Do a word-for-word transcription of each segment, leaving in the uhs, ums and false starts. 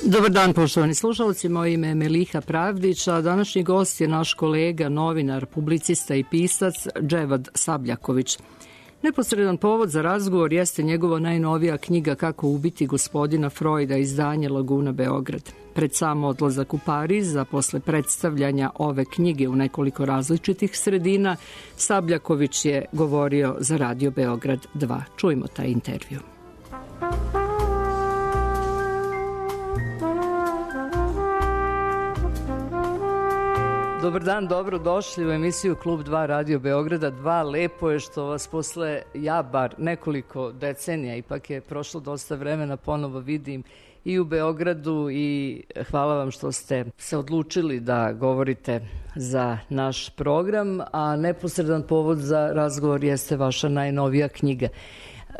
Dobar dan, poštovani slušalci, moje ime je Meliha Pravdić, a današnji gost je naš kolega, novinar, publicista i pisac Dževad Sabljaković. Neposredan povod za razgovor jeste njegova najnovija knjiga Kako ubiti gospodina Freuda, izdanje Laguna Beograd. Pred sam odlazak u Pariz, a posle predstavljanja ove knjige u nekoliko različitih sredina, Sabljaković je govorio za Radio Beograd dva. Čujmo taj intervju. Dobar dan, dobro došli u emisiju Klub dva Radio Beograda dva. Lepo je što vas posle, ja bar nekoliko decenija, ipak je prošlo dosta vremena, ponovo vidim i u Beogradu i hvala vam što ste se odlučili da govorite za naš program, a neposredan povod za razgovor jeste vaša najnovija knjiga.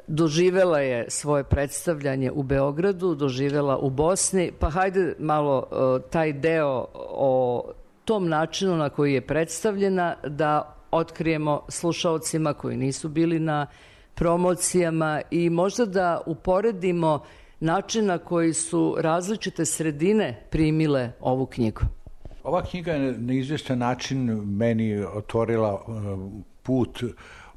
Doživela je svoje predstavljanje u Beogradu, doživela u Bosni, pa hajde malo uh, taj deo o tom načinu na koji je predstavljena da otkrijemo slušaocima koji nisu bili na promocijama i možda da uporedimo način na koji su različite sredine primile ovu knjigu. Ova knjiga je na izvjestan način meni otvorila put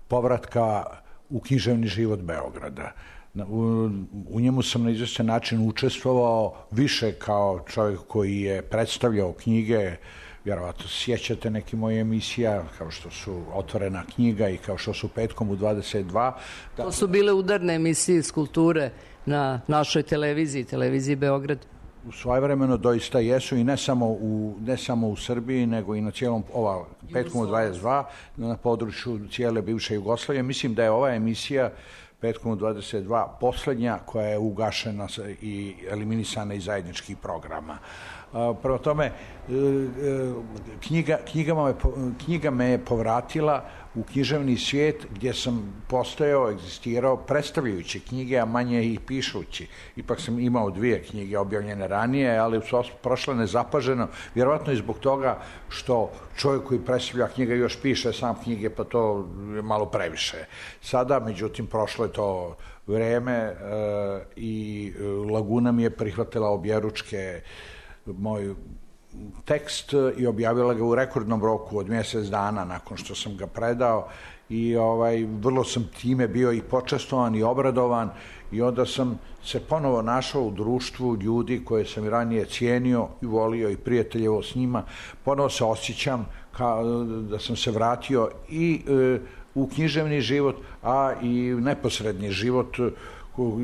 povratka u književni život Beograda. U, u njemu sam na izvjestan način učestvovao više kao čovjek koji je predstavljao knjige. Vjerovatno sjećate neke moje emisija, kao što su Otvorena knjiga i kao što su Petkom u dvadeset dva. Da... To su bile udarne emisije iz kulture na našoj televiziji, televiziji Beograd. U svojevremeno doista jesu i ne samo u, ne samo u Srbiji, nego i na cijelom, ova Petkom u dvadeset dva, na području cijele bivše Jugoslavije. Mislim da je ova emisija Petkom u dvadeset dva posljednja koja je ugašena i eliminisana iz zajedničkih programa. Prvo tome, knjiga, knjiga, me, knjiga me je povratila u književni svijet gdje sam postojao, egzistirao predstavljajući knjige, a manje i pišući. Ipak sam imao dvije knjige objavljene ranije, ali su prošle nezapaženo, vjerovatno i zbog toga što čovjek koji predstavlja knjige još piše sam knjige, pa to je malo previše. Sada, međutim, prošlo je to vreme e, i Laguna mi je prihvatila objeručke moj tekst i objavila ga u rekordnom roku od mjesec dana nakon što sam ga predao i ovaj, vrlo sam time bio i počastovan i obradovan i onda sam se ponovo našao u društvu ljudi koje sam i ranije cijenio i volio i prijateljevo s njima. Ponovo se osjećam kao da sam se vratio i e, u književni život, a i neposredni život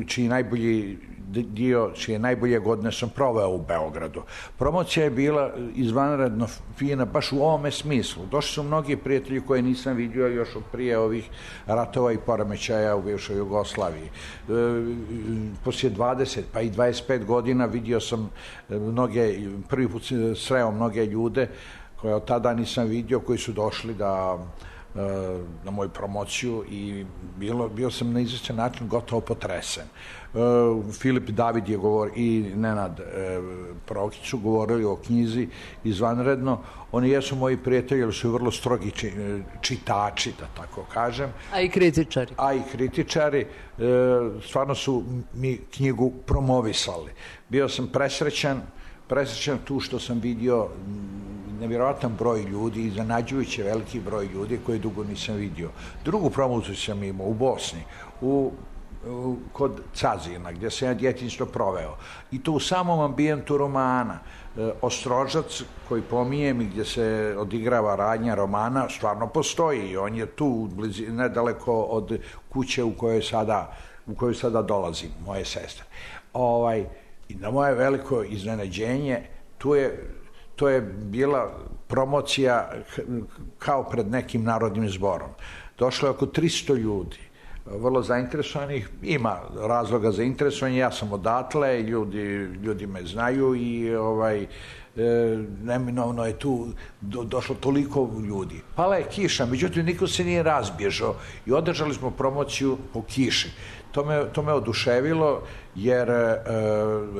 čiji najbolji dio, čije najbolje godine sam proveo u Beogradu. Promocija je bila izvanredno fina, baš u ovome smislu. Došli su mnogi prijatelji koje nisam vidio još od prije ovih ratova i poremećaja u bivšoj Jugoslaviji. E, poslije dvadeset pa i dvadeset pet godina vidio sam mnoge, prvi put sreo mnoge ljude koje od tada nisam vidio, koji su došli da na moju promociju i bilo, bio sam na izvjestan način gotovo potresen. Uh, Filip David je govor i Nenad uh, Prokić su govorili o knjizi izvanredno. Oni jesu moji prijatelji, ali su vrlo strogi či, čitači, da tako kažem. A i kritičari. A i kritičari. Uh, stvarno su mi knjigu promovisali. Bio sam presrećan, presrećan tu što sam vidio nevjerojatan broj ljudi, iznenađujuće veliki broj ljudi koji dugo nisam vidio. Drugu promociju sam imao u Bosni, u, u, kod Cazina, gdje sam ja djetinjstvo proveo. I to u samom ambijentu romana. E, Ostrožac, koji pominjem i gdje se odigrava radnja romana, stvarno postoji i on je tu blizi, nedaleko od kuće u kojoj sada, u kojoj sada dolazim, moje sestre. Ovaj, i na moje veliko iznenađenje, tu je To je bila promocija kao pred nekim narodnim zborom. Došlo je oko tristo ljudi, vrlo zainteresovanih, ima razloga za interesovanje, ja sam odatle, ljudi, ljudi me znaju i ovaj, e, neminovno je tu do, došlo toliko ljudi. Pala je kiša, međutim niko se nije razbježao i održali smo promociju po kiši. To me, to me oduševilo jer e,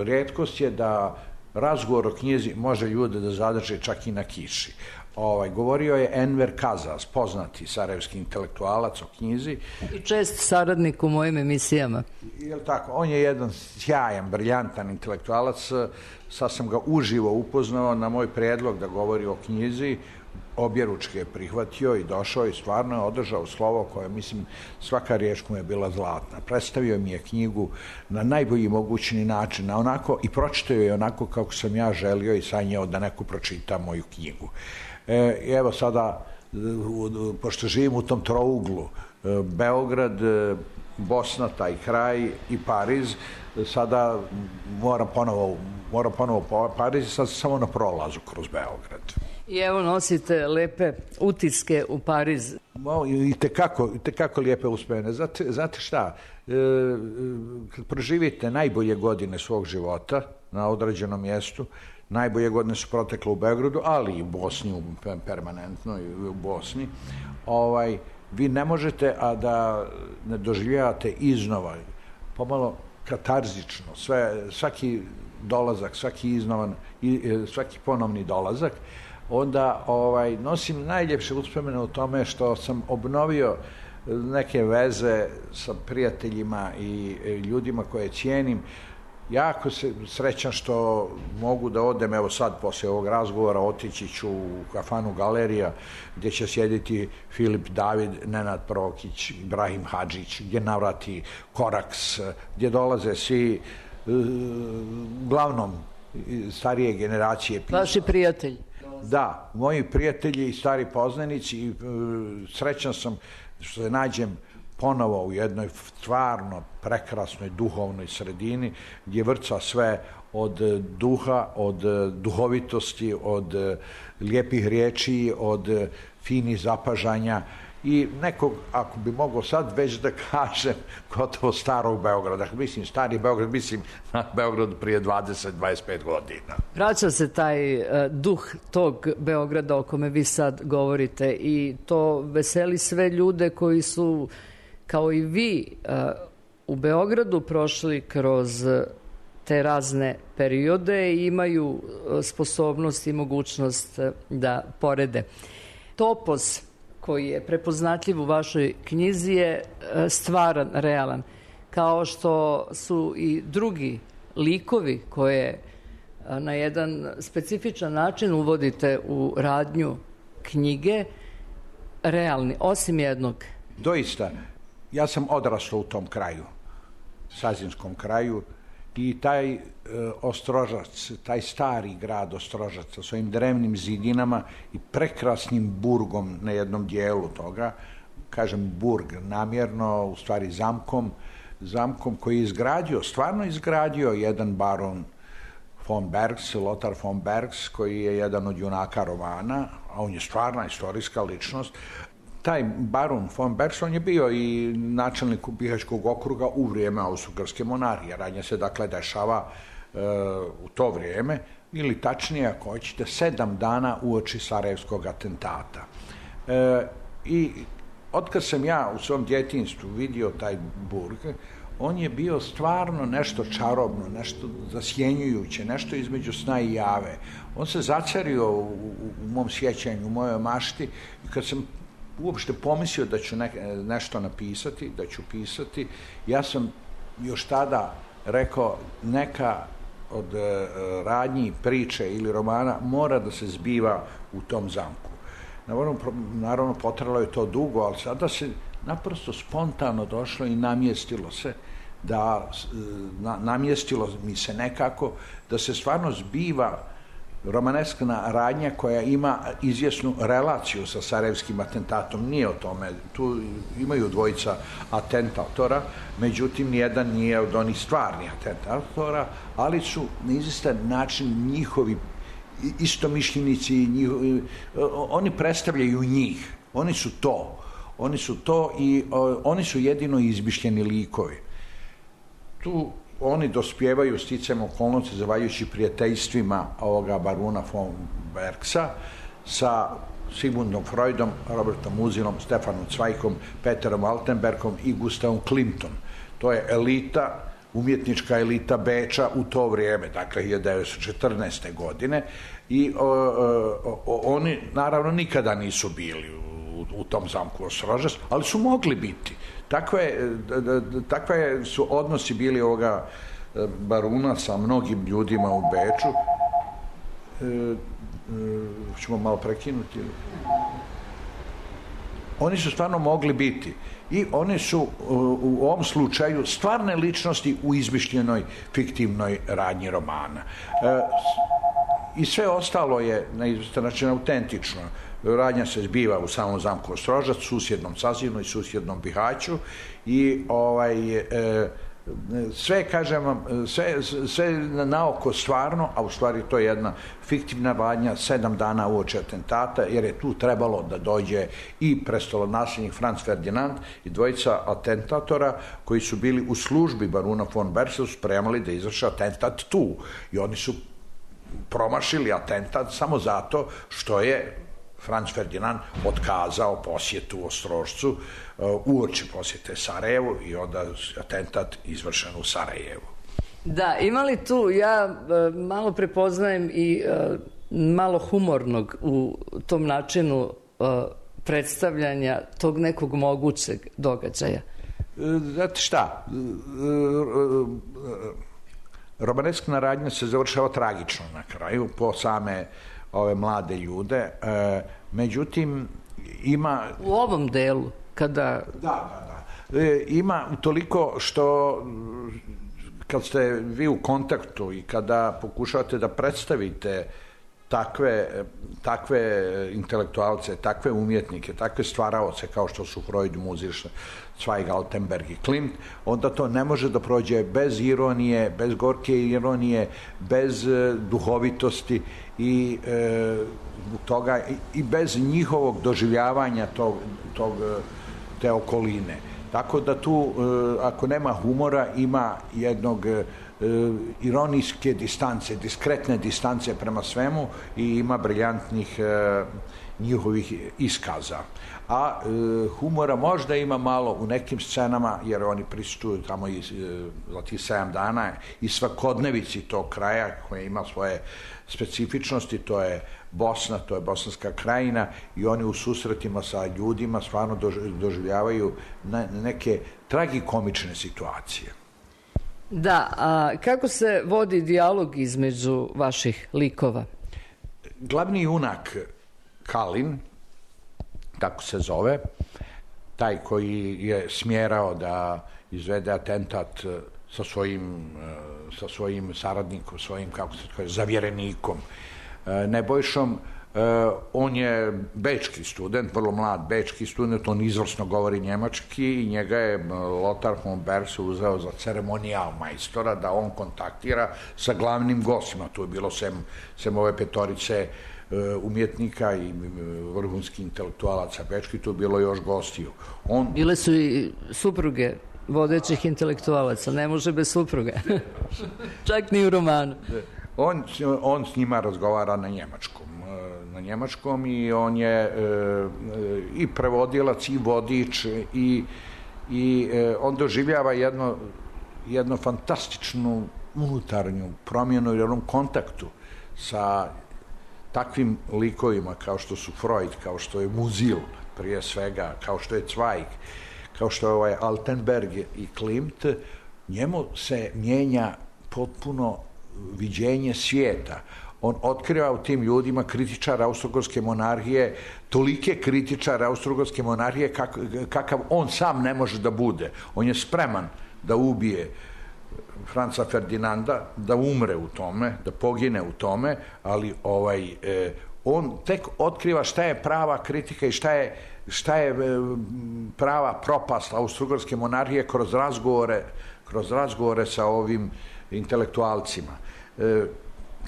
rijetkost je da razgovor o knjizi može ljude da zadrže čak i na kiši. Ovaj, govorio je Enver Kazas, poznati sarajevski intelektualac o knjizi. I čest saradnik u mojim emisijama. Jel tako? On je jedan sjajan, briljantan intelektualac. Sad sam ga uživo upoznao na moj prijedlog da govori o knjizi. Objeručke je prihvatio i došao i stvarno je održao slovo koje, mislim, svaka riječ mu je bila zlatna. Predstavio mi je knjigu na najbolji mogućni način, na onako, i pročitao je onako kako sam ja želio i sanjao da neko pročita moju knjigu. E, evo sada, pošto živim u tom trouglu, Beograd, Bosna, taj kraj i Pariz, sada moram ponovo, moram ponovo po Pariz i sad samo na prolazu kroz Beograd. I evo nosite lepe utiske u Pariz. I tekako, i tekako lijepe uspomene. Znate, znate šta, e, kad proživite najbolje godine svog života na određenom mjestu, najbolje godine su protekle u Beogradu, ali i u Bosni, permanentno i u Bosni, ovaj, vi ne možete, a da ne doživljavate iznova, pomalo katarzično, sve, svaki dolazak, svaki iznovan, svaki ponovni dolazak, onda ovaj, nosim najljepše uspomene u tome što sam obnovio neke veze sa prijateljima i ljudima koje cijenim. Jako se srećan što mogu da odem, evo sad poslije ovog razgovora otići ću u kafanu Galerija gdje će sjediti Filip David, Nenad Prokić, Ibrahim Hadžić, gdje navrati Koraks, gdje dolaze svi uglavnom starije generacije. Vaši prijatelji. Da, moji prijatelji i stari poznanici i srećan sam što se nađem ponovo u jednoj stvarno prekrasnoj duhovnoj sredini gdje vrca sve od duha, od duhovitosti, od lijepih riječi, od finih zapažanja i nekog, ako bi mogao sad već da kažem, gotovo starog Beograda. Mislim, stari Beograd, mislim na Beograd prije dvadeset do dvadeset pet godina. Vraća se taj uh, duh tog Beograda o kome vi sad govorite i to veseli sve ljude koji su, kao i vi, uh, u Beogradu prošli kroz te razne periode i imaju uh, sposobnost i mogućnost uh, da porede. Topos koji je prepoznatljiv u vašoj knjizi je stvaran, realan, kao što su i drugi likovi koje na jedan specifičan način uvodite u radnju knjige, realni, osim jednog. Doista, ja sam odrastao u tom kraju, Sazinskom kraju, i taj e, Ostrožac, taj stari grad Ostrožac sa svojim drevnim zidinama i prekrasnim burgom na jednom dijelu toga, kažem burg namjerno, u stvari zamkom, zamkom koji je izgradio, stvarno izgradio jedan baron von Bergs, Lothar von Bergs, koji je jedan od junaka romana, a on je stvarna istorijska ličnost. Taj baron von Bergs, on je bio i načelnik Bihaćkog okruga u vrijeme Austro-Ugarske monarhije. Radnja se dakle dešava e, u to vrijeme, ili tačnije ako hoćete, sedam dana uoči Sarajevskog atentata. E, I otkad sam ja u svom djetinjstvu vidio taj burg, on je bio stvarno nešto čarobno, nešto zasjenjujuće, nešto između sna i jave. On se zacario u, u, u mom sjećanju, u mojoj mašti, i kad sam uopšte pomislio da ću ne, nešto napisati, da ću pisati, ja sam još tada rekao neka od e, radnji, priče ili romana mora da se zbiva u tom zamku. Naravno, naravno potralo je to dugo, ali sada se naprosto spontano došlo i namjestilo se da na, namjestilo mi se nekako da se stvarno zbiva romaneskna radnja koja ima izvjesnu relaciju sa sarajevskim atentatom. Nije o tome, tu imaju dvojica atentatora, međutim nijedan nije od onih stvarnih atentatora, ali su na izvjestan način njihovi istomišljenici, njihovi, oni predstavljaju njih, oni su to, oni su to i o, oni su jedino izmišljeni likovi. Tu oni dospijevaju sticajem okolnosti zahvaljujući prijateljstvima ovoga baruna von Bergsa sa Sigmundom Freudom, Robertom Muzilom, Stefanom Zweigom, Peterom Altenbergom i Gustavom Klimtom. To je elita umjetnička elita Beča u to vrijeme, dakle hiljadu devetsto četrnaeste. godine, i o, o, o, oni naravno nikada nisu bili u, u tom zamku Ostrožac, ali su mogli biti. Takve, takve su odnosi bili ovoga baruna sa mnogim ljudima u Beču. E, e, ćemo malo prekinuti. Oni su stvarno mogli biti i oni su u ovom slučaju stvarne ličnosti u izmišljenoj fiktivnoj radnji romana. E, I sve ostalo je na izvestan način autentično. Radnja se zbiva u samom zamku Ostrožac, susjednom Sazinu i susjednom Bihaću i ovaj, e, sve, kažem vam, sve, sve na oko stvarno, a u stvari to je jedna fiktivna radnja sedam dana uoči atentata, jer je tu trebalo da dođe i prestolonasljednik Franz Ferdinand i dvojica atentatora koji su bili u službi baruna von Bersa, spremali da izvrše atentat tu. I oni su promašili atentat samo zato što je Franz Ferdinand otkazao posjetu Ostrožcu uh, uoči posjete Sarajevu i onda atentat izvršen u Sarajevu. Da, ima li tu, ja uh, malo prepoznajem i uh, malo humornog u tom načinu uh, predstavljanja tog nekog mogućeg događaja? Znate šta, romaneskna radnja se završava tragično na kraju po same ove mlade ljude, e, međutim ima... U ovom delu, kada... Da, da, da. E, ima toliko što kad ste vi u kontaktu i kada pokušavate da predstavite takve, takve intelektualce, takve umjetnike, takve stvaraoce kao što su Freud, Muziš, Zweig, Altenberg i Klimt, onda to ne može da prođe bez ironije, bez gorke ironije, bez duhovitosti i e, toga i bez njihovog doživljavanja tog, tog, te okoline. Tako da tu, e, ako nema humora, ima jednog e, ironijske distance, diskretne distance prema svemu i ima briljantnih e, njihovih iskaza. A e, humora možda ima malo u nekim scenama, jer oni prisustvuju tamo i, e, za tih sedam dana i svakodnevici tog kraja koja ima svoje specifičnosti, to je Bosna, to je Bosanska krajina i oni u susretima sa ljudima stvarno doživljavaju neke tragikomične situacije. Da, a kako se vodi dijalog između vaših likova? Glavni junak Kalin, tako se zove, taj koji je smjerao da izvede atentat sa svojim, sa svojim saradnikom, svojim, kako se kaže, zavjerenikom Nebojšom, on je bečki student, vrlo mlad bečki student, on izvrsno govori njemački i njega je Lothar von Bers uzeo za ceremonijal majstora da on kontaktira sa glavnim gostima. Tu je bilo sem, sem ove petorice umjetnika i vrhunskih intelektualaca bečki, tu je bilo još gostiju. On... Bile su i supruge vodećih intelektualaca, ne može bez supruge. Čak ni u romanu. On, on s njima razgovara na njemačkom, na njemačkom i on je e, i prevodilac i vodič i, i e, on doživljava jedno, jednu fantastičnu unutarnju promjenu u jednom kontaktu sa takvim likovima kao što su Freud, kao što je Musil prije svega, kao što je Zweig, kao što je ovaj Altenberg i Klimt. Njemu se mijenja potpuno viđenje svijeta. On otkriva u tim ljudima kritičara Austro-Ugarske monarhije, tolike kritičara Austro-Ugarske monarhije kak, kakav on sam ne može da bude. On je spreman da ubije Franca Ferdinanda, da umre u tome, da pogine u tome, ali ovaj, eh, on tek otkriva šta je prava kritika i šta je, šta je eh, prava propast Austro-Ugarske monarhije kroz razgovore, kroz razgovore sa ovim intelektualcima, e,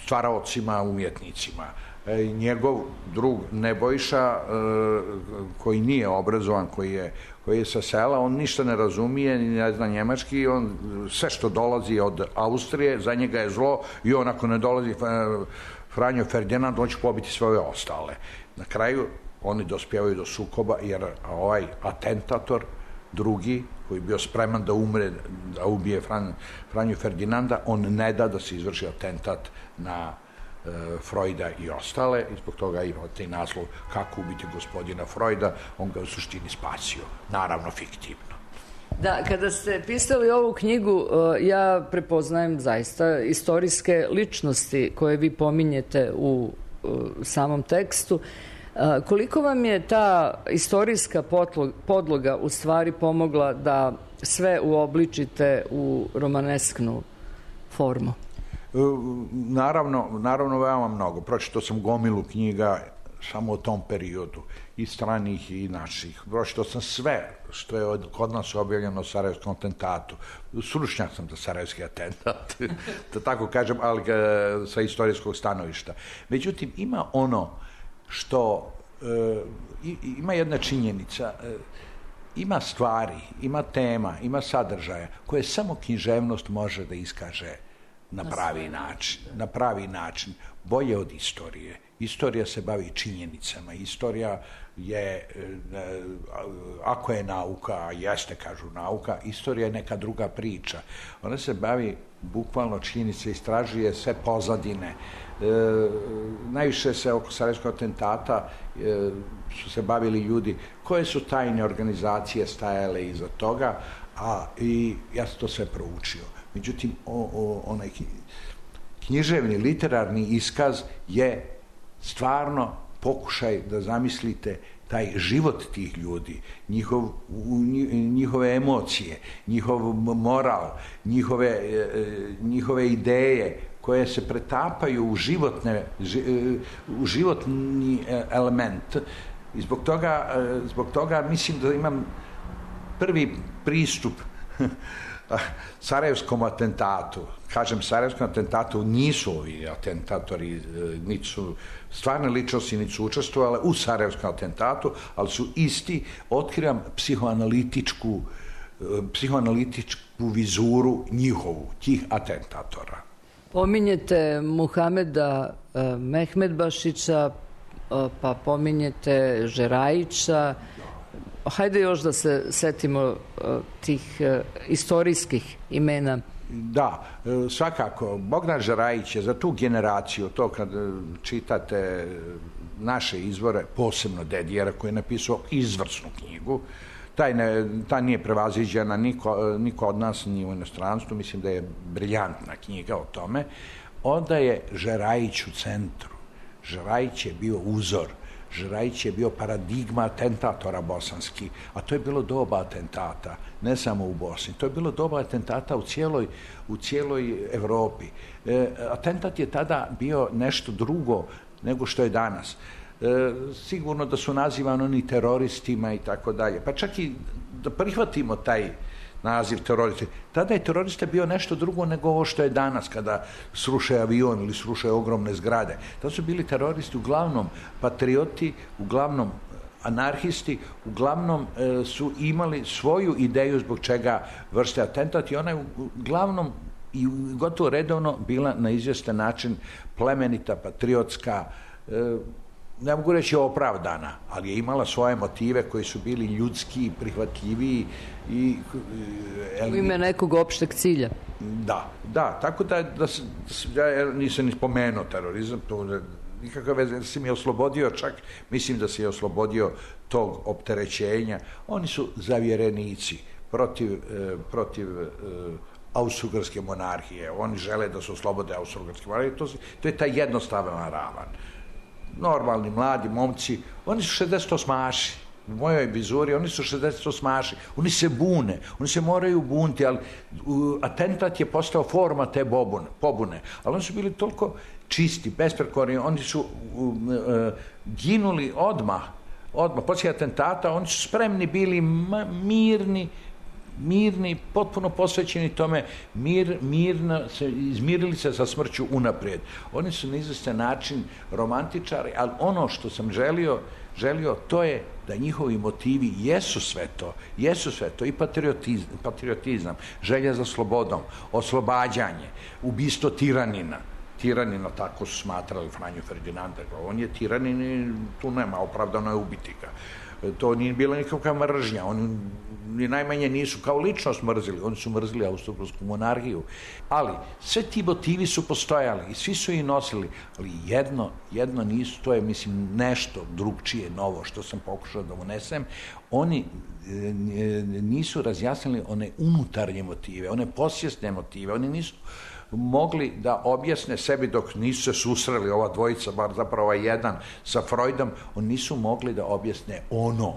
stvaraocima, umjetnicima. E, njegov drug Nebojša, e, koji nije obrazovan, koji je, koji je sa sela, on ništa ne razumije, ne zna njemački, on sve što dolazi od Austrije, za njega je zlo i on ako ne dolazi Franjo Ferdinand, on će pobiti svoje ostale. Na kraju oni dospijevaju do sukoba, jer ovaj atentator drugi, koji je bio spreman da umre, da ubije Fran, Franju Ferdinanda, on ne da da se izvrši atentat na e, Freuda i ostale, i zbog toga ima taj naslov Kako ubiti gospodina Freuda, on ga u suštini spasio, naravno fiktivno. Da, kada ste pisali ovu knjigu, ja prepoznajem zaista istorijske ličnosti koje vi pominjete u samom tekstu. Koliko vam je ta istorijska podloga u stvari pomogla da sve uobličite u romanesknu formu? Naravno, naravno veoma mnogo. Pročitao sam gomilu knjiga samo u tom periodu, i stranih i naših. Pročitao sam sve što je kod nas objavljeno o Sarajevskom atentatu. Stručnjak sam za Sarajevski atentat, da tako kažem, ali sa istorijskog stanovišta. Međutim, ima ono što, e, ima jedna činjenica, e, ima stvari, ima tema, ima sadržaja koje samo književnost može da iskaže na pravi način. Na pravi način, bolje od istorije. Istorija se bavi činjenicama. Istorija je, ako je nauka, a jeste, kažu nauka, istorija je neka druga priča. Ona se bavi bukvalno činjenice, istražuje sve pozadine. E, najviše se oko Sarajevskog atentata e, su se bavili ljudi koje su tajne organizacije stajale iza toga, a i ja sam to sve proučio. Međutim, o, o, onaj književni, literarni iskaz je stvarno pokušaj da zamislite taj život tih ljudi, njihov, njihove emocije, njihov moral, njihove, njihove ideje koje se pretapaju u, životne, u životni element. I zbog toga, zbog toga mislim da imam prvi pristup Sarajevskom atentatu. Kažem, Sarajevskom atentatu nisu ovi atentatori, niti su stvarne ličnosti, niti su učestvovali u Sarajevskom atentatu, ali su isti. Otkrivam psihoanalitičku, psihoanalitičku vizuru njihovu, tih atentatora. Pominjete Muhameda Mehmedbašića, pa pominjete Žerajića. Hajde još da se setimo uh, tih uh, istorijskih imena. Da, svakako. Bogdan Žerajić je za tu generaciju, to kad čitate naše izvore, posebno Dedijera koji je napisao izvrsnu knjigu, taj, ne, ta nije prevaziđena niko, niko od nas ni u inostranstvu, mislim da je briljantna knjiga o tome. Onda je Žerajić u centru. Žerajić je bio uzor. Žerajić je bio paradigma atentatora bosanski, a to je bilo doba atentata, ne samo u Bosni, to je bilo doba atentata u cijeloj, u cijeloj Evropi. E, atentat je tada bio nešto drugo nego što je danas. E, sigurno da su nazivani oni teroristima i tako dalje, pa čak i da prihvatimo taj naziv terorista. Tada je terorista bio nešto drugo nego ovo što je danas, kada sruše avion ili sruše ogromne zgrade. Tada su bili teroristi uglavnom patrioti, uglavnom anarhisti, uglavnom e, su imali svoju ideju zbog čega vrste atentat i ona je uglavnom i gotovo redovno bila na izvjestan način plemenita, patriotska, e, ne mogu reći opravdana, ali je imala svoje motive koji su bili ljudski, prihvatljiviji i... U ime nekog opšteg cilja. Da, da, tako da, da, da ja nisam ni spomenuo terorizam, to nikakve veze, da si mi je oslobodio, čak mislim da si je oslobodio tog opterećenja. Oni su zavjerenici protiv, eh, protiv eh, Austro-Ugarske monarhije, oni žele da se oslobode Austro-Ugarske monarhije, to, to je taj jednostavan ravan. Normalni, mladi momci, oni su šezdeset osmaši, u mojoj vizuri, oni su šezdeset osmaši, oni se bune, oni se moraju bunti, ali uh, atentat je postao forma te bobune, pobune, ali oni su bili toliko čisti, besprekorni, oni su uh, uh, ginuli odmah, odmah, poslije atentata, oni su spremni bili ma, mirni, mirni, potpuno posvećeni tome, mir, mirno, se, izmirili se sa smrću unaprijed. Oni su na izvestan način romantičari, ali ono što sam želio, želio, to je da njihovi motivi jesu sve to, jesu sve to, i patriotizam, patriotizam, želja za slobodom, oslobađanje, ubistvo tiranina. Tiranina, tako su smatrali Franju Ferdinanda, on je tiranin i tu nema, opravdano je ubiti ga. To nije bila nikakva mržnja. Oni ni najmanje nisu kao ličnost mrzili, oni su mrzili austrougarsku monarhiju. Ali sve ti motivi su postojali i svi su ih nosili, ali jedno, jedno nisu, to je mislim nešto drugčije, novo, što sam pokušao da unesem. Oni nisu razjasnili one unutarnje motive, one posvjesne motive, oni nisu mogli da objasne sebi dok nisu se susreli ova dvojica, bar zapravo ovaj jedan sa Freudom, oni nisu mogli da objasne ono,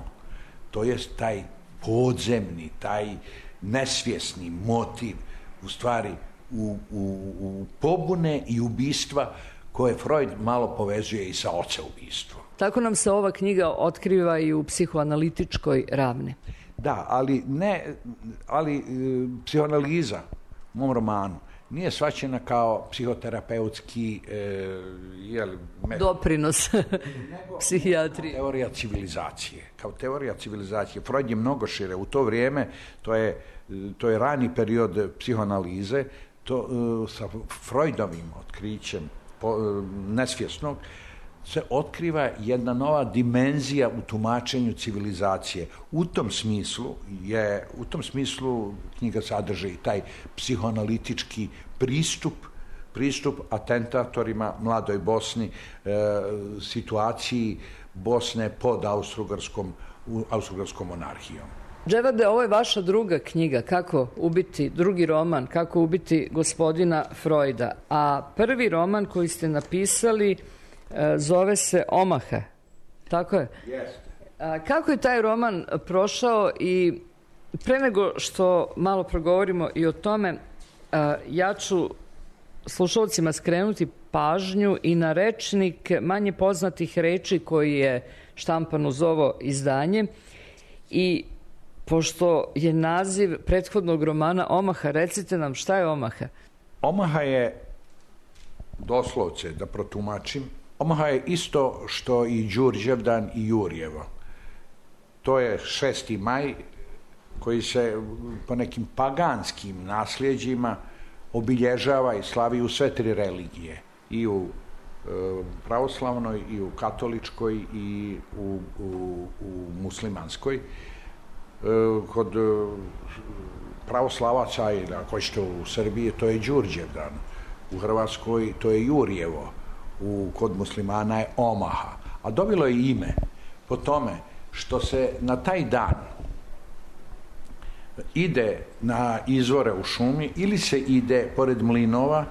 to je taj podzemni, taj nesvjesni motiv u stvari u, u, u pobune i ubistva koje Freud malo povezuje i sa oceubistvom. Tako nam se ova knjiga otkriva i u psihoanalitičkoj ravni. Da, ali ne, ali e, psihoanaliza u mom romanu nije shvaćena kao psihoterapeutski e, jel, doprinos psihijatrije. Teorija civilizacije. Kao teorija civilizacije. Freud je mnogo šire. U to vrijeme, to je, to je rani period psihoanalize, to, e, sa Freudovim otkrićem po, e, nesvjesnog, se otkriva jedna nova dimenzija u tumačenju civilizacije. U tom smislu je, u tom smislu knjiga sadrži taj psihoanalitički pristup, pristup atentatorima mladoj Bosni, e, situaciji Bosne pod austrougarskom, austrougarskom monarhijom. Dževade, ovo je vaša druga knjiga, Kako ubiti, drugi roman, Kako ubiti gospodina Freuda. A prvi roman koji ste napisali zove se Omaha, tako je? Jeste. Kako je taj roman prošao i pre nego što malo progovorimo i o tome, ja ću slušalcima skrenuti pažnju i na rečnik manje poznatih reči koji je štampan uz ovo izdanje i pošto je naziv prethodnog romana Omaha, recite nam šta je Omaha? Omaha je, doslovce da protumačim, Omaha je isto što i Đurđevdan i Jurjevo. To je šesti maj koji se po nekim paganskim nasljeđima obilježava i slavi u sve tri religije. I u e, pravoslavnoj, i u katoličkoj, i u, u, u muslimanskoj. E, kod pravoslavaca, ili ako ćete u Srbiji, to je Đurđevdan. U Hrvatskoj to je Jurjevo. U, kod muslimana je Omaha. A dobilo je ime po tome što se na taj dan ide na izvore u šumi ili se ide pored mlinova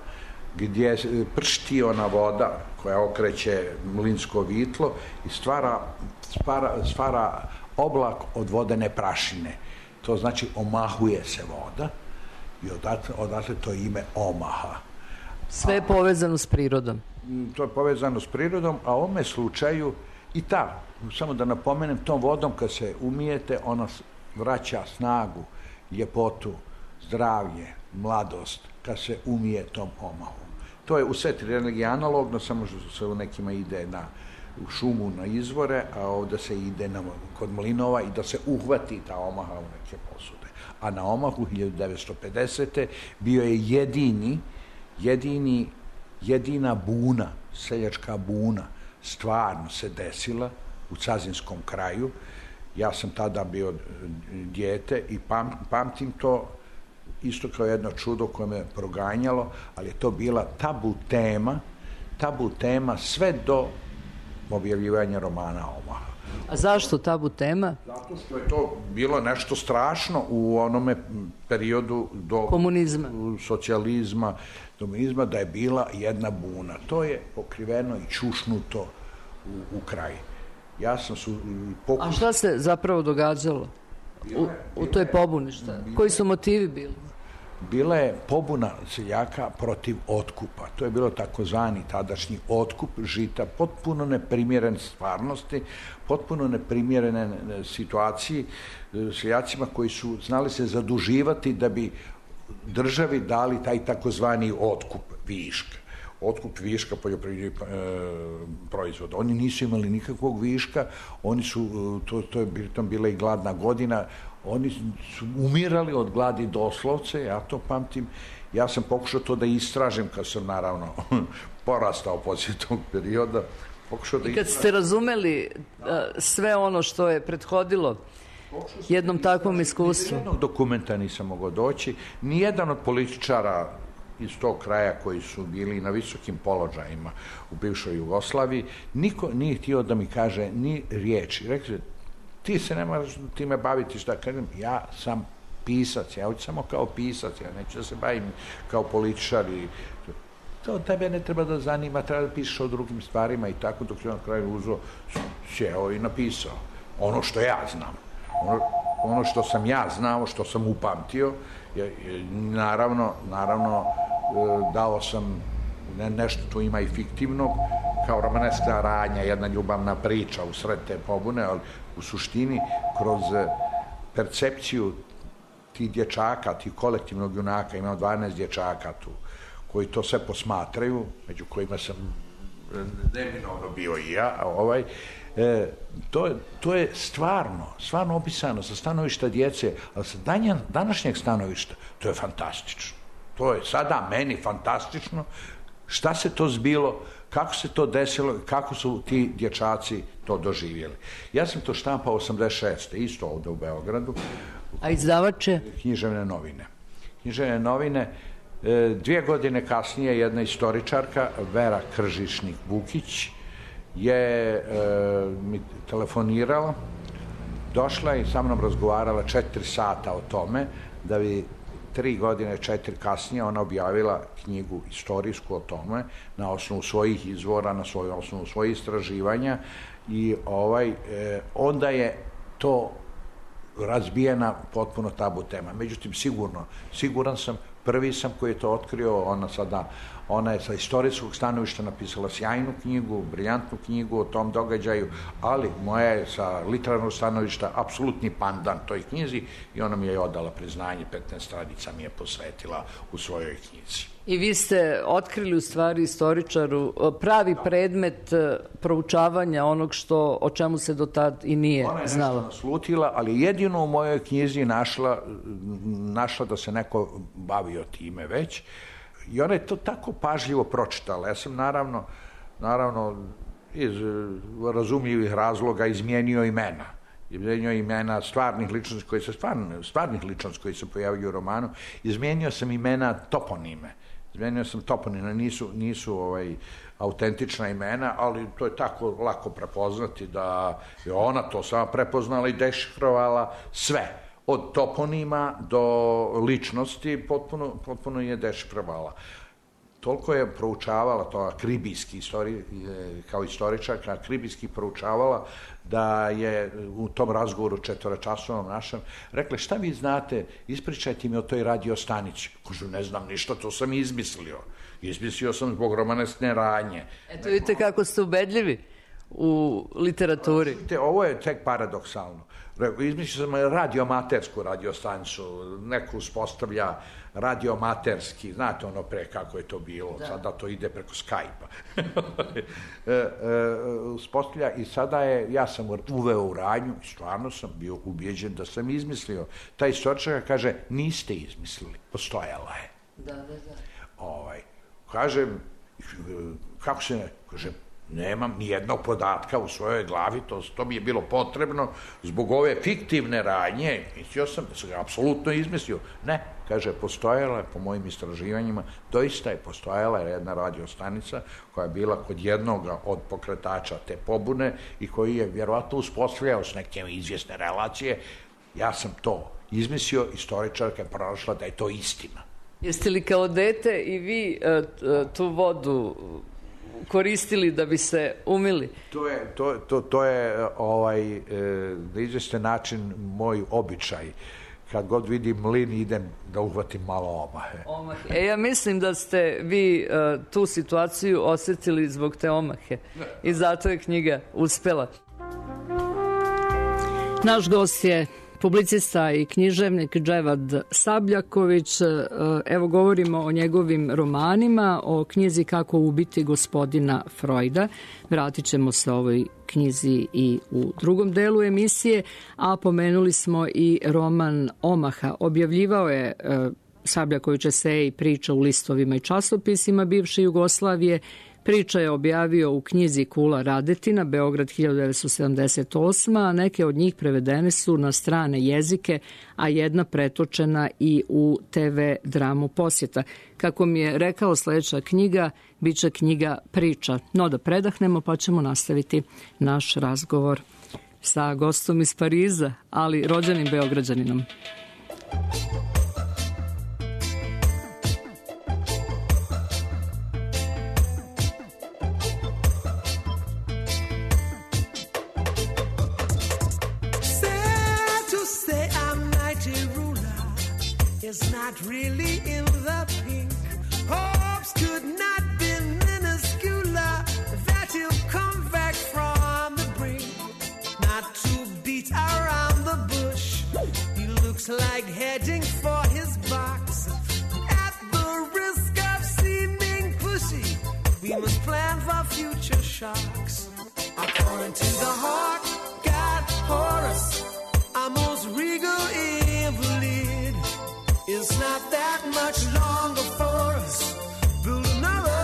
gdje pršti ona voda koja okreće mlinsko vitlo i stvara, stvara, stvara oblak od vodene prašine. To znači omahuje se voda i odatle, odatle to ime Omaha. Sve je povezano s prirodom. To je povezano s prirodom, a u ovome slučaju i ta, samo da napomenem, tom vodom kad se umijete, ona vraća snagu, ljepotu, zdravlje, mladost, kad se umije tom Omahom. To je u sve tri religije analogno, samo što se u nekima ide na, u šumu na izvore, a ovdje se ide na, kod mlinova i da se uhvati ta Omaha u neke posude. A na Omahu hiljadu devetsto pedesete bio je jedini, jedini jedina buna, seljačka buna, stvarno se desila u Cazinskom kraju. Ja sam tada bio dijete i pam, pamtim to isto kao jedno čudo koje me proganjalo, ali je to bila tabu tema, tabu tema sve do objavljivanja romana Omaha. A zašto tabu tema? Zato što je to bilo nešto strašno u onome periodu do komunizma, socijalizma, komunizma, da je bila jedna buna. To je pokriveno i čušnuto u, u kraj. Ja sam su pokušao... A šta se zapravo događalo u, u toj pobuni? Šta? Koji su motivi bili? Bila je pobuna seljaka protiv otkupa. To je bilo takozvani tadašnji otkup žita, potpuno neprimjeren stvarnosti, potpuno neprimjerene situaciji seljacima koji su znali se zaduživati da bi državi dali taj takozvani otkup viška. Otkup viška poljoprivrednih e, proizvoda. Oni nisu imali nikakvog viška, oni su, to, to je pritom bila i gladna godina, oni su umirali od gladi doslovce, ja to pamtim. Ja sam pokušao to da istražim kad sam naravno porastao poslije tog perioda pokušao da... I kad ste razumeli sve ono što je prethodilo jednom takvom iskustvu? Nijednog dokumenta nisam mogao doći, nijedan od političara iz tog kraja koji su bili na visokim položajima u bivšoj Jugoslaviji, niko nije htio da mi kaže ni riječi. Rekli, ti se ne moraš time baviti, šta kažem, ja sam pisac, ja hoću samo kao pisac, ja neću da se bavim kao političar i to tebe ne treba da zanima, treba da pišeš o drugim stvarima i tako, dok je on na kraju uzeo, sjeo i napisao ono što ja znam. Ono, ono što sam ja znao, što sam upamtio, je, je, naravno, naravno e, dao sam ne, nešto tu ima i fiktivnog, kao romaneska radnja, jedna ljubavna priča u sred te pobune, ali u suštini kroz percepciju tih dječaka, tih kolektivnog junaka, imamo dvanaest dječaka tu, koji to sve posmatraju, među kojima sam neminovno bio i ja, ovaj, e, to, to je stvarno, stvarno opisano sa stanovišta djece, ali sa danja, današnjeg stanovišta, to je fantastično. To je sada meni fantastično, šta se to zbilo, kako se to desilo, kako su ti dječaci to doživjeli. Ja sam to štampao osamdeset šeste isto ovdje u Beogradu. A izdavače? Književne novine. Književne novine. Dvije godine kasnije jedna istoričarka, Vera Kržišnik-Vukić, je e, mi telefonirala, došla i sa mnom razgovarala četiri sata o tome, da bi tri godine, četiri kasnije ona objavila knjigu istorijsku o tome, na osnovu svojih izvora, na svoju osnovu svojih istraživanja i ovaj, e, onda je to razbijena potpuno tabu tema. Međutim, sigurno, siguran sam, prvi sam koji je to otkrio, ona sada, ona je sa istorijskog stanovišta napisala sjajnu knjigu, briljantnu knjigu o tom događaju, ali moja je sa literarnog stanovišta apsolutni pandan toj knjizi i ona mi je odala priznanje, petnaest stranica mi je posvetila u svojoj knjizi. I vi ste otkrili u stvari istoričaru pravi predmet proučavanja onog što, o čemu se do tad i nije znalo. Ona je nešto naslutila, ali jedino u mojoj knjizi našla, našla da se neko bavio time već. I ona je to tako pažljivo pročitala. Ja sam naravno, naravno iz razumljivih razloga izmijenio imena. Izmijenio imena stvarnih ličnosti koji se stvarni, stvarnih ličnosti koji se pojavljuju u romanu. Izmijenio sam imena toponime. Izmijenio sam toponime, nisu, nisu ovaj, autentična imena, ali to je tako lako prepoznati da je ona to sama prepoznala i dešifrovala sve. Od toponima do ličnosti potpuno, potpuno je dešifrovala. Toliko je proučavala, to akribijski istori, kao istoričarka, akribijski proučavala da je u tom razgovoru četvorečasovnom našem rekla, šta vi znate, ispričajte mi o toj radio stanici. Kažu, ne znam ništa, to sam izmislio. Izmislio sam zbog romanesne radnje. Eto, vidite kako ste ubedljivi u literaturi. Ovo je tek paradoksalno. Izmislio sam radioamatersku radiostanicu, neko uspostavlja radioamaterski, znate ono pre kako je to bilo, da. Sada to ide preko Skype-a. e, e, uspostavlja i sada je, ja sam uveo u radnju i stvarno sam bio ubijeđen da sam izmislio. Ta istoričarka kaže, niste izmislili, postojala je. Da, da, da. Ovaj, kažem, kako se ne, kažem, nemam ni jednog podatka u svojoj glavi, to, to mi je bilo potrebno zbog ove fiktivne radnje, mislio sam da sam ga apsolutno izmislio. Ne, kaže, postojala je po mojim istraživanjima, doista je postojala jedna radiostanica koja je bila kod jednog od pokretača te pobune i koji je vjerovatno uspostavljao s neke izvjesne relacije. Ja sam to izmislio, istoričarka je pronašla da je to istina. Jeste li kao dete i vi uh, tu vodu koristili da bi se umili? To je, to, to, to je ovaj, e, na izvestan način moj običaj. Kad god vidim mlin, idem da uhvatim malo omahe. Omahe. E, ja mislim da ste vi uh, tu situaciju osjetili zbog te omahe. I zato je knjiga uspela. Naš gost je publicista i književnik Dževad Sabljaković. Evo govorimo o njegovim romanima, o knjizi Kako ubiti gospodina Freuda. Vratit ćemo se ovoj knjizi i u drugom delu emisije, a pomenuli smo i roman Omaha. Objavljivao je Sabljaković eseje i priča u listovima i časopisima bivše Jugoslavije. Priča je objavio u knjizi Kula Radetina, Beograd hiljadu devetsto sedamdeset osma, a neke od njih prevedene su na strane jezike, a jedna pretočena i u te ve dramu Posjeta. Kako mi je rekao, sledeća knjiga biće knjiga Priča. No da predahnemo, pa ćemo nastaviti naš razgovor sa gostom iz Pariza, ali rođenim Beograđaninom. It's not really in the pink. Hopes could not be minuscular. That he'll come back from the brink. Not to beat around the bush. He looks like heading for his box. At the risk of seeming pushy, we must plan for future shocks. According to the heart, God Horus, our most regal invalid. It's not that much longer for us. Build another,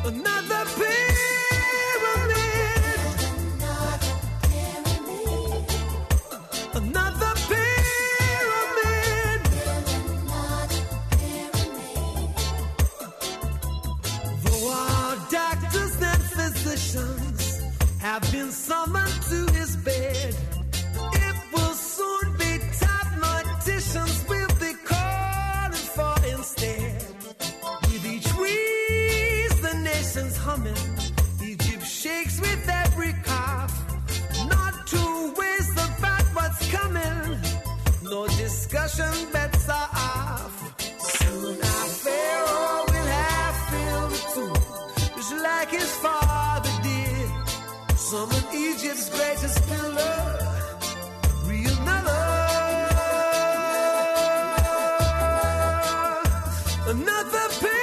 another pyramid, another pyramid. Though our doctors and physicians have been summoned to his bed, we'll be calling for instead. With each wheeze, the nation's humming. Egypt shakes with every cough. Not to waste about what's coming. No discussion, bets are off. Soon our Pharaoh will have filled the tomb, just like his father did. Summon Egypt's greatest pillar. Real another. Another pyramid,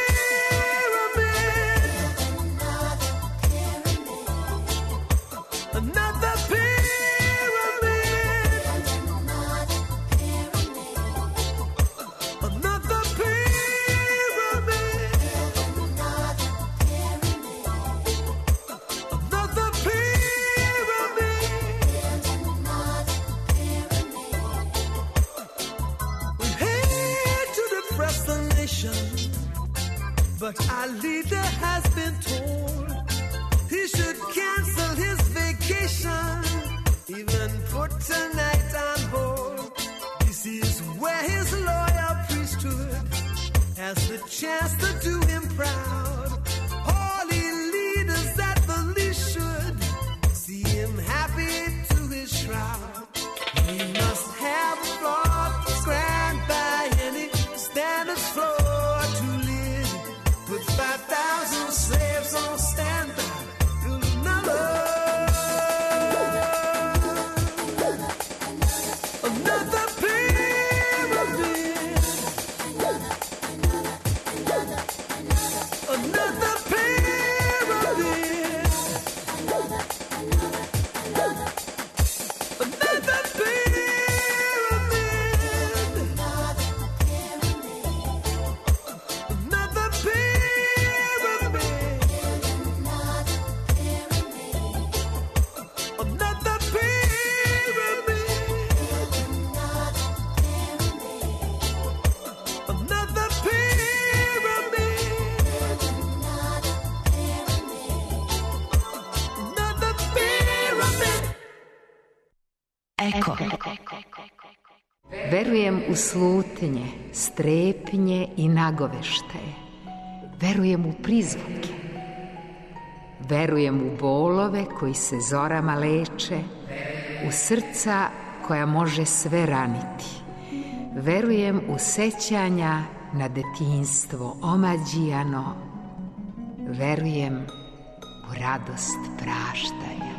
another pyramid, another pyramid, another pyramid. We hate to depress the nation, but our leader has been told he should cancel his vacation, even put tonight on hold. This is where his loyal priesthood has the chance to do him proud. Holy leaders at the least should see him happy to his shroud. He must have a floor grand by any standards floor. Five thousand slaves on standby. Build another, another pyramid, another pyramid, another pyramid, another pyramid. Eko. Verujem u slutnje, strepnje i nagoveštaje. Verujem u prizvuke. Verujem u bolove koji se zorama leče, u srca koja može sve raniti. Verujem u sećanja na detinjstvo omađijano. Verujem u radost praštanja.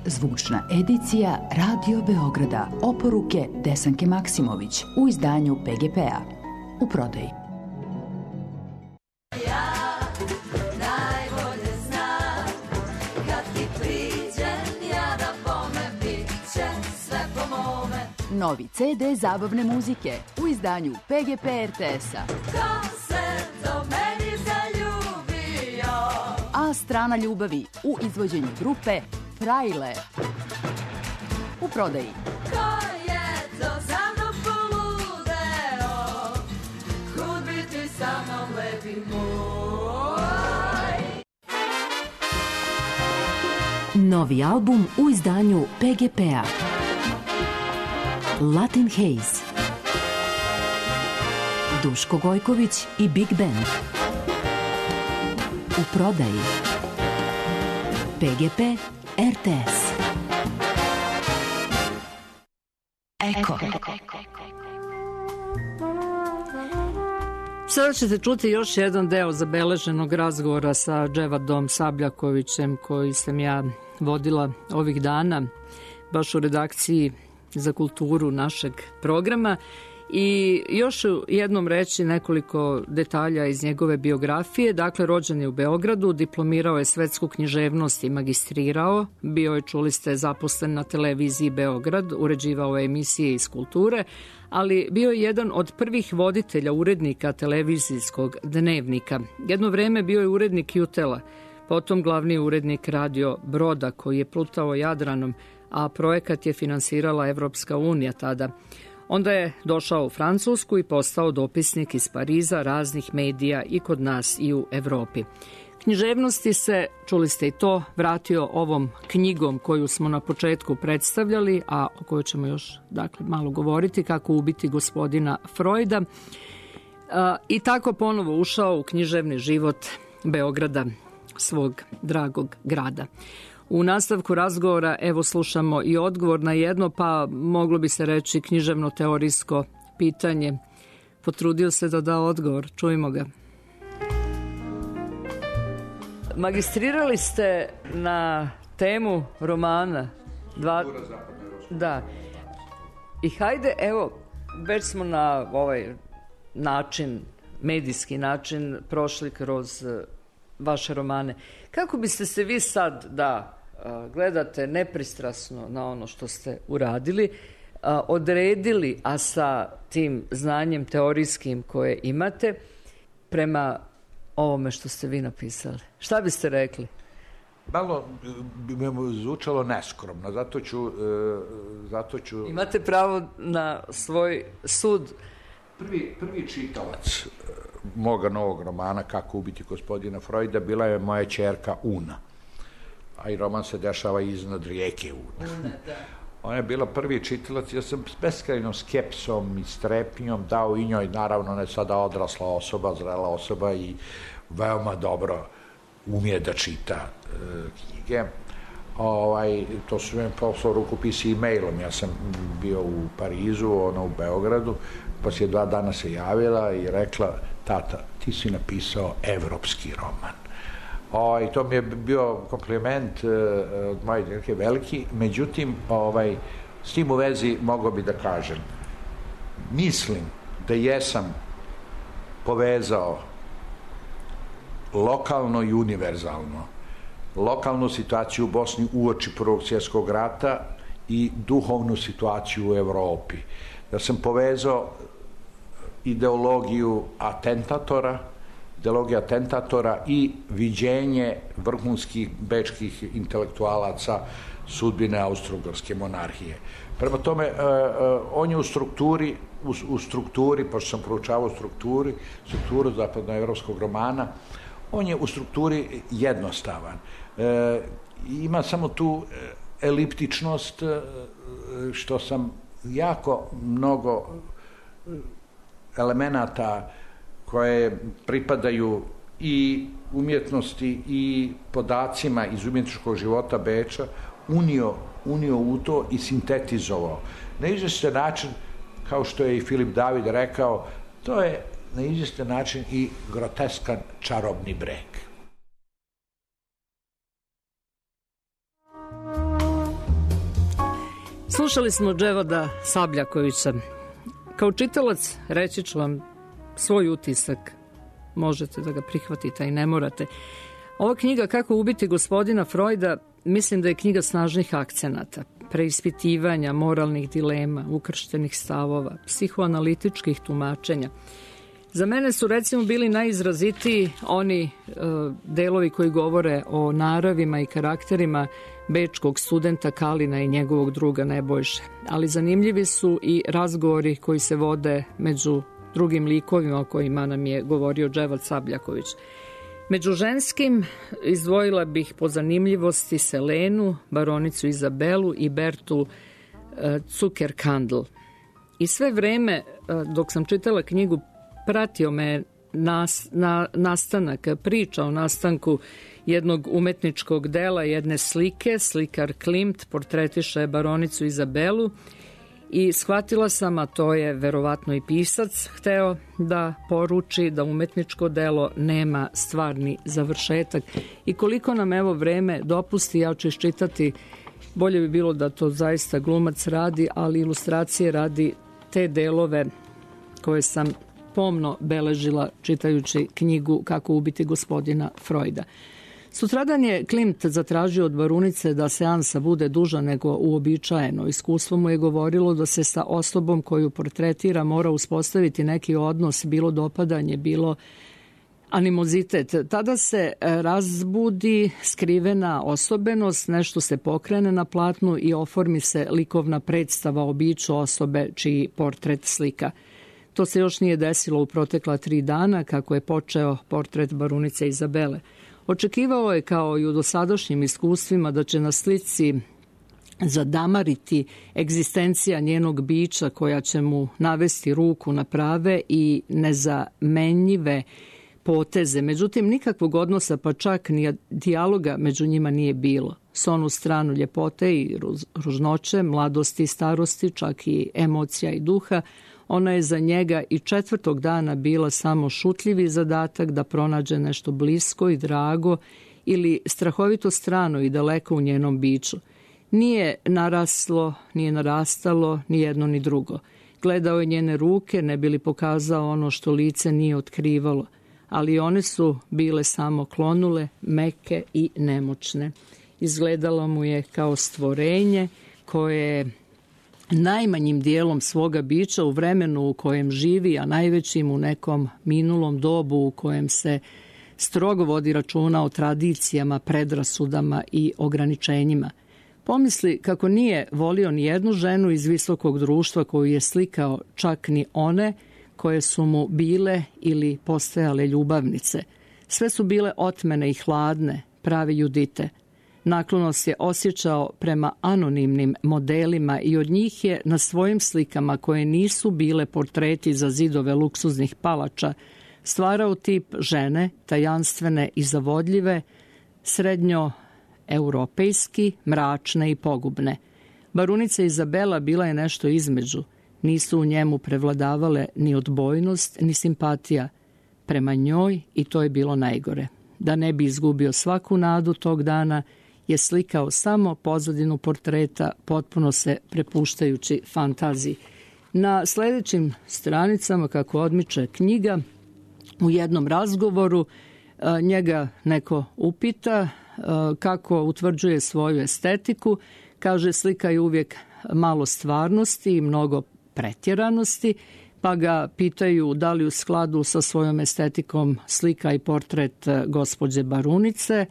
Zvučna edicija Radio Beograda. Oporuke Desanke Maksimović u izdanju pe ge pe-a. U prodaji. Novi ce de zabavne muzike u izdanju P G P R T S-a. Ko se do meni zaljubio? A strana ljubavi u izvođenju grupe Frajle. U prodaji. Ko je to za mnom poludeo? Kud bi ti sa mnom, lepi moj? Novi album u izdanju P G P-a. Latin Haze. Duško Gojković i Big Band. U prodaji. P G P R T S. Eko. Sada ćete čuti još jedan deo zabeleženog razgovora sa Dževadom Sabljakovićem koji sam ja vodila ovih dana baš u redakciji za kulturu našeg programa. I još jednom reći nekoliko detalja iz njegove biografije. Dakle, rođen je u Beogradu, diplomirao je svetsku književnost i magistrirao. Bio je, čuli ste, zaposlen na televiziji Beograd, uređivao je emisije iz kulture, ali bio je jedan od prvih voditelja urednika televizijskog dnevnika. Jedno vreme bio je urednik Jutela, potom glavni urednik radio Broda koji je plutao Jadranom, a projekat je finansirala Evropska unija tada. Onda je došao u Francusku i postao dopisnik iz Pariza raznih medija i kod nas i u Evropi. Književnosti se, čuli ste i to, vratio ovom knjigom koju smo na početku predstavljali, a o kojoj ćemo još dakle, malo govoriti, Kako ubiti gospodina Freuda. I tako ponovo ušao u književni život Beograda, svog dragog grada. U nastavku razgovora evo slušamo i odgovor na jedno, pa moglo bi se reći književno-teorijsko pitanje. Potrudio se da da odgovor. Čujmo ga. Magistrirali ste na temu romana. Dva... Da. I hajde, evo, već smo na ovaj način, medijski način, prošli kroz vaše romane. Kako biste se vi sad, da gledate nepristrasno na ono što ste uradili, odredili, a sa tim znanjem teorijskim koje imate, prema ovome što ste vi napisali? Šta biste rekli? Malo bi me zvučalo neskromno, zato ću, zato ću... Imate pravo na svoj sud. Prvi, prvi čitalac moga novog romana Kako ubiti gospodina Freuda bila je moja ćerka Una. A i roman se dešava iznad rijeke Una. Una, da. Ona je bila prvi čitalac, ja sam s beskrajnom skepsom i strepnjom dao i njoj, naravno ne sada odrasla osoba, zrela osoba i veoma dobro umije da čita e, knjige. Ovaj, to su mi poslao rukopisi e-mailom, ja sam bio u Parizu, ona u Beogradu, poslije dva dana se javila i rekla, tata, ti si napisao evropski roman. Ovaj, to mi je bio kompliment e, od moje djerke veliki, međutim, ovaj, s tim u vezi mogao bi da kažem, mislim da jesam povezao lokalno i univerzalno lokalnu situaciju u Bosni uoči Prvog svjetskog rata i duhovnu situaciju u Evropi. Da sam povezao ideologiju atentatora, ideologiju atentatora i viđenje vrhunskih bečkih intelektualaca sudbine Austro-Ugarske monarhije. Prema tome, uh, uh, on je u strukturi, u, u strukturi, pošto sam proučavao strukturi, strukturu zapadnoevropskog romana, on je u strukturi jednostavan. E, ima samo tu eliptičnost, što sam jako mnogo elemenata koje pripadaju i umjetnosti i podacima iz umjetničkog života Beča unio, unio u to i sintetizovao. Na izvestan način, kao što je i Filip David rekao, to je na izvestan način i groteskan čarobni breg. Slušali smo Dževada Sabljakovića. Kao čitalac reći ću vam svoj utisak. Možete da ga prihvatite i ne morate. Ova knjiga Kako ubiti gospodina Freuda, mislim da je knjiga snažnih akcenata. preispitivanja moralnih dilema, ukrštenih stavova, psihoanalitičkih tumačenja. Za mene su recimo bili najizrazitiji oni e, delovi koji govore o naravima i karakterima bečkog studenta Kalina i njegovog druga Nebojše. Ali zanimljivi su i razgovori koji se vode među drugim likovima o kojima nam je govorio Dževad Sabljaković. Među ženskim izdvojila bih po zanimljivosti Selenu, baronicu Izabelu i Bertu e, Zuckerkandl. I sve vreme e, dok sam čitala knjigu pratio me nas, na, nastanak, priča o nastanku jednog umetničkog dela, jedne slike. Slikar Klimt portretiše baronicu Izabelu i shvatila sam, a to je verovatno i pisac hteo da poruči, da umetničko delo nema stvarni završetak. I koliko nam evo vreme dopusti, ja ću iščitati, bolje bi bilo da to zaista glumac radi, ali ilustracije radi te delove koje sam pomno beležila čitajući knjigu Kako ubiti gospodina Freuda. Sutradan je Klimt zatražio od barunice da seansa bude duža nego uobičajeno. Iskustvo mu je govorilo da se sa osobom koju portretira mora uspostaviti neki odnos, bilo dopadanje, bilo animozitet. Tada se razbudi skrivena osobenost, nešto se pokrene na platnu i oformi se likovna predstava o biću osobe čiji portret slika. To se još nije desilo u protekla tri dana kako je počeo portret barunice Izabele. Očekivao je, kao i u dosadašnjim iskustvima, da će na slici zadamariti egzistencija njenog bića koja će mu navesti ruku na prave i nezamenjive poteze. Međutim, nikakvog odnosa, pa čak ni dijaloga među njima nije bilo. S onu stranu ljepote i ružnoće, mladosti i starosti, čak i emocija i duha, ona je za njega i četvrtog dana bila samo šutljivi zadatak da pronađe nešto blisko i drago ili strahovito strano i daleko u njenom biću. Nije naraslo, nije narastalo ni jedno ni drugo. Gledao je njene ruke, ne bi li pokazao ono što lice nije otkrivalo, ali one su bile samo klonule, meke i nemoćne. Izgledalo mu je kao stvorenje koje najmanjim dijelom svoga bića u vremenu u kojem živi, a najvećim u nekom minulom dobu u kojem se strogo vodi računa o tradicijama, predrasudama i ograničenjima. Pomisli kako nije volio ni jednu ženu iz visokog društva koju je slikao, čak ni one koje su mu bile ili postajale ljubavnice. Sve su bile otmene i hladne, prave Judite. Naklonost je osjećao prema anonimnim modelima i od njih je na svojim slikama, koje nisu bile portreti za zidove luksuznih palača, stvarao tip žene, tajanstvene i zavodljive, srednjoeuropejski, mračne i pogubne. Barunica Izabela bila je nešto između. Nisu u njemu prevladavale ni odbojnost, ni simpatija prema njoj, i to je bilo najgore. Da ne bi izgubio svaku nadu tog dana, je slikao samo pozadinu portreta, potpuno se prepuštajući fantaziji. Na sljedećim stranicama, kako odmiče knjiga, u jednom razgovoru njega neko upita kako utvrđuje svoju estetiku. Kaže, slika je uvijek malo stvarnosti i mnogo pretjeranosti, pa ga pitaju da li u skladu sa svojom estetikom slika i portret gospođe barunice,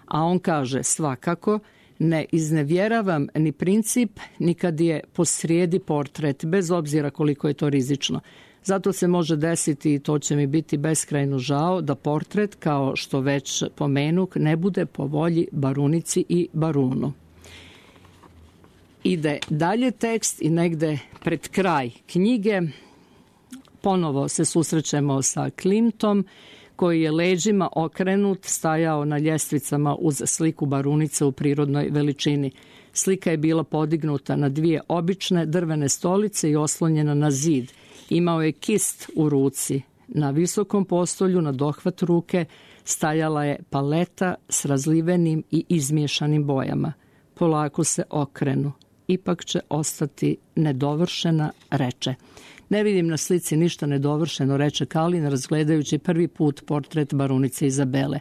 a on kaže, svakako, ne iznevjeravam ni princip, ni kad je posrijedi portret, bez obzira koliko je to rizično. Zato se može desiti, i to će mi biti beskrajno žao, da portret, kao što već pomenuk, ne bude po volji barunici i barunu. Ide dalje tekst i negde pred kraj knjige ponovo se susrećemo sa Klimtom, koji je leđima okrenut stajao na ljestvicama uz sliku barunice u prirodnoj veličini. Slika je bila podignuta na dvije obične drvene stolice i oslonjena na zid. Imao je kist u ruci. Na visokom postolju, na dohvat ruke, stajala je paleta s razlivenim i izmiješanim bojama. Polako se okrenu. Ipak će ostati nedovršena, reče. Ne vidim na slici ništa nedovršeno, reče Kalin, razgledajući prvi put portret barunice Izabele.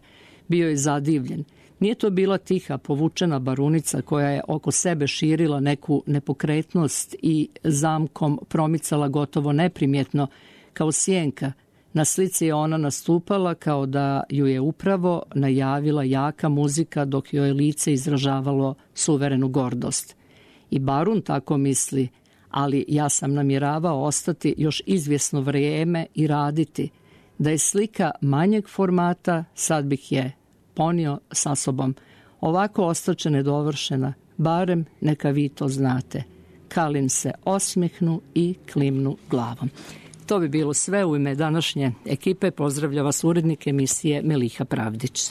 Bio je zadivljen. Nije to bila tiha, povučena barunica koja je oko sebe širila neku nepokretnost i zamkom promicala gotovo neprimjetno, kao sjenka. Na slici je ona nastupala kao da ju je upravo najavila jaka muzika dok joj lice izražavalo suverenu gordost. I barun tako misli, ali ja sam namjeravao ostati još izvjesno vrijeme i raditi. Da je slika manjeg formata, sad bih je ponio sa sobom. Ovako ostaće nedovršena, barem neka vi to znate. Kalin se osmihnu i klimnu glavom. To bi bilo sve u ime današnje ekipe. Pozdravlja vas urednik emisije Meliha Pravdić.